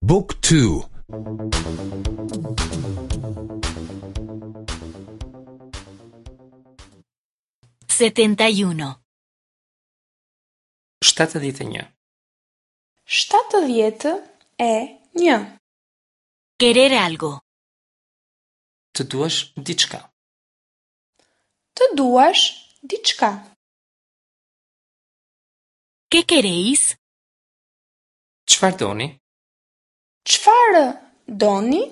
บุ๊กทู 71. 71. 71. Querer algo. Të duash diçka. Të duash diçka. ¿Qué queréis? Çfarë doni? Çfarë doni?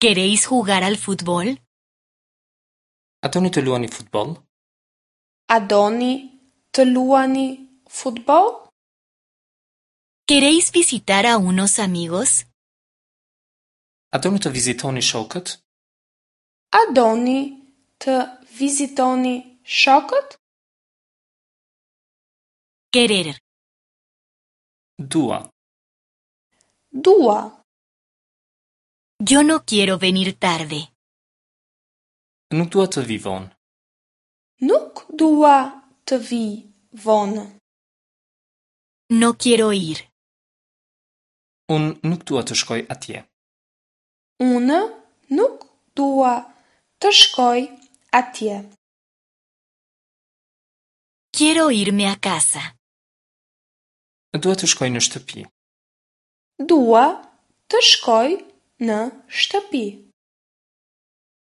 ¿Queréis jugar al fútbol? A doni të luani futboll? A doni të luani futboll? ¿Queréis visitar a unos amigos? A doni të vizitoni shokët? A doni të vizitoni shokët? Querer. Dua. Dua. Yo no quiero venir tarde. Nuk dua të vi vonë. Nuk dua të vi vonë. No quiero ir. Unë nuk dua të shkoj atje. Unë nuk dua të shkoj atje. Quiero irme a casa. Dua të shkoj në shtëpi. Dua të shkoj në shtëpi.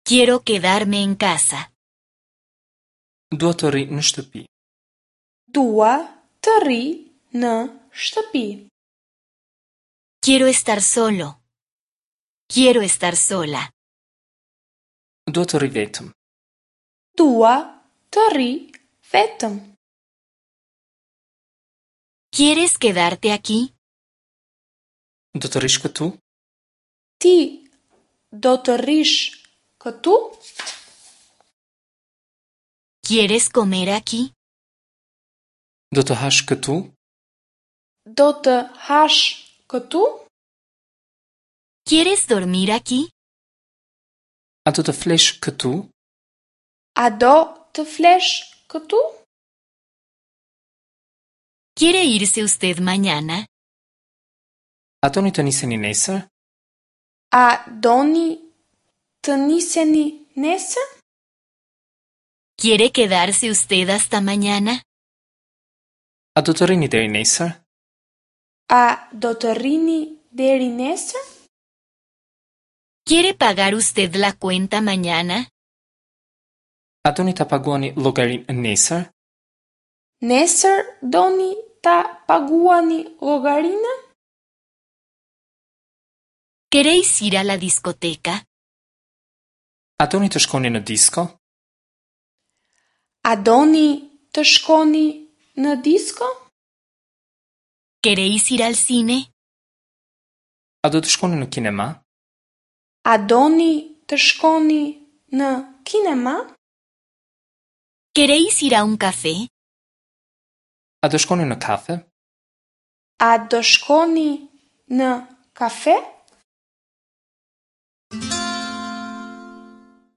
Quiero quedarme en casa. Dua të rri në shtëpi. Dua të rri në shtëpi. Quiero estar solo. Quiero estar sola. Dua të rri vetëm. Dua të rri vetëm. ¿Quieres quedarte aquí? Do të rrish këtu? Ti do të rrish këtu? ¿Quieres comer aquí? Do të hash këtu? Do të hash këtu? ¿Quieres dormir aquí? A do të flesh këtu? A do të flesh këtu? ¿Quiere irse usted mañana? A doni të niseni nesër? A doni të niseni nesër? ¿Quiere quedarse usted hasta mañana? A do të rrini deri nesër? A do të rrini deri nesër? ¿Quiere pagar usted la cuenta mañana? A doni ta paguani llogarinë nesër? Nesër doni ta paguani llogarinë? ¿Queréis ir a la discoteca? A doni të shkoni në disko? A doni të shkoni në disko? ¿Queréis ir al cine? A do të shkoni në kinema? A doni të shkoni në kinema? ¿Queréis ir a un café? A do shkoni në kafe? A do shkoni në kafe?